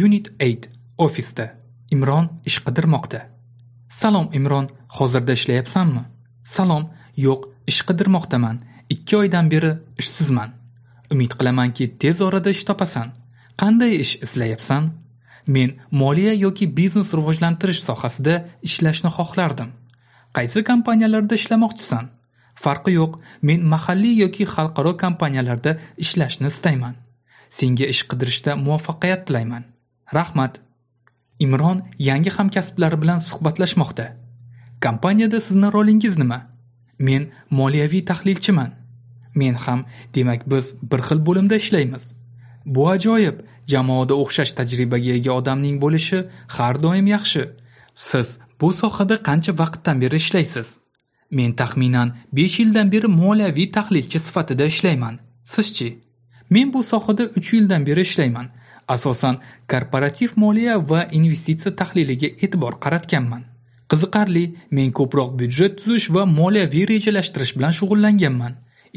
Unit 8. Ofisda. Imron ish qidirmoqda. Salom Imron, hozirda ishlayapsanmi? Salom, yo'q, ish qidirmoqdaman. 2 oydan beri ishsizman. Umid qilamanki, tez orada ish topasan. Qanday ish izlayapsan? Men moliya yoki biznes rivojlantirish sohasida ishlashni xohlardim. Qaysi kompaniyalarda ishlamoqchisan? Farqi yo'q, men mahalliy yoki xalqaro kompaniyalarda ishlashni istayman. Senga ish qidirishda muvaffaqiyat tilayman. Rahmat. Imron yangi hamkasblari bilan suhbatlashmoqda. Kompaniyada sizni rolingiz nima? Men moliyaviy tahlilchiman. Men ham, demak biz bir xil bo'limda ishlaymiz. Bu ajoyib, jamoada o'xshash tajribaga ega odamning bo'lishi har doim yaxshi. Siz bu sohada qancha vaqtdan beri ishlaysiz? Men taxminan 5 yildan beri moliyaviy tahlilchi sifatida ishlayman. Sizchi? Men bu sohada 3 yildan beri ishlayman. Asosan korporativ moliya va investitsiya tahliliga e'tibor qaratganman. Qiziqarli, men ko'proq byudjet tuzish va moliyaviy rejalashtirish bilan shug'ullanganman.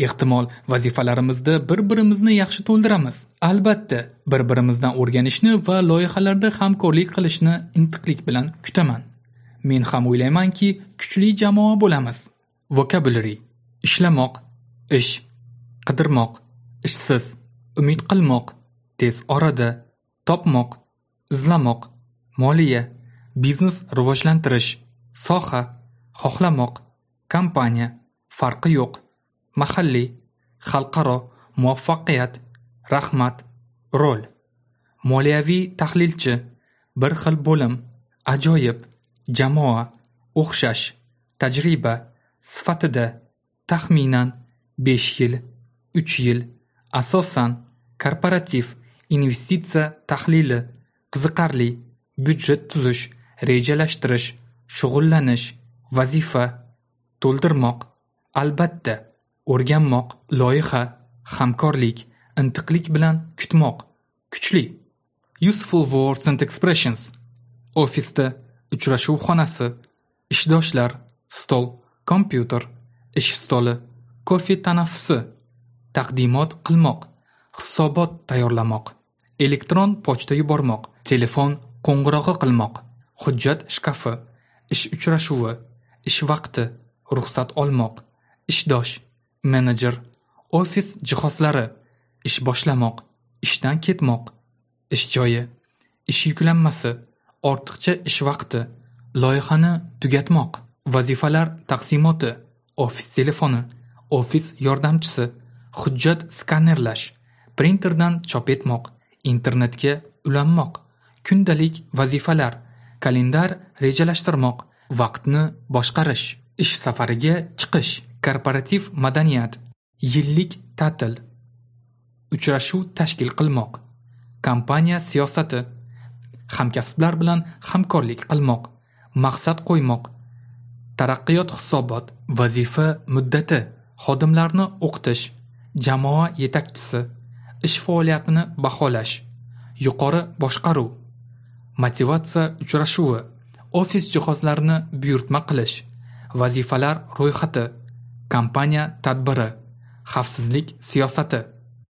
Ehtimol vazifalarimizda bir-birimizni yaxshi to'ldiramiz. Albatta, bir-birimizdan o'rganishni va loyihalarda hamkorlik qilishni intiqlik bilan kutaman. Men ham o'ylaymanki, kuchli jamoa bo'lamiz. Vocabulary: ishlamoq, ish, qidirmoq, ishsiz, umid qilmoq, tez orada, topmoq, izlamoq, moliya, biznes rivojlantirish, soha, xohlamoq, kompaniya, farqi yo'q, mahalliy, xalqaro, muvaffaqiyat, rahmat, rol, moliyaviy tahlilchi, bir xil bo'lim, ajoyib, jamoa, o'xshash, tajriba, sifatida, taxminan, 5 yil, 3 yil, asosan, korporativ, investitsiya tahlili, qiziqarli, byudjet tuzish, rejalashtirish, shug'ullanish, vazifa, to'ldirmoq, albatta, o'rganmoq, loyiha, hamkorlik, intiqlik bilan kutmoq, kuchli. Useful words and expressions. Ofisda, uchrashuv xonasi, ishdoshlar, stol, kompyuter, ish stoli, kofe tanaffusi, taqdimot qilmoq, hisobot tayyorlamoq, elektron pochta yubormoq, telefon qo'ng'irog'i qilmoq, hujjat shkafi, ish uchrashuvi, ish vaqti, ruxsat olmoq, ishdosh, menejer, ofis jihozlari, ish boshlamoq, ishdan ketmoq, ish joyi, ish yuklanmasi, ortiqcha ish vaqti, loyihani tugatmoq, vazifalar taqsimoti, ofis telefoni, ofis yordamchisi, hujjat skanerlash, printerdan chop etmoq, internetga ulanmoq, kundalik vazifalar, kalendar rejalashtirmoq, vaqtni boshqarish, ish safariga chiqish, korporativ madaniyat, yillik ta'til, uchrashuv tashkil qilmoq, kompaniya siyosati, hamkasblar bilan hamkorlik qilmoq, maqsad qo'ymoq, taraqqiyot hisobot, vazifa muddati, xodimlarni o'qitish, jamoa yetakchisi, ish faoliyatini baholash, yuqori boshqaruv, motivatsiya uchrashuvi, ofis jihozlarini buyurtma qilish, vazifalar ro'yxati, kompaniya tadbiri, xavfsizlik siyosati.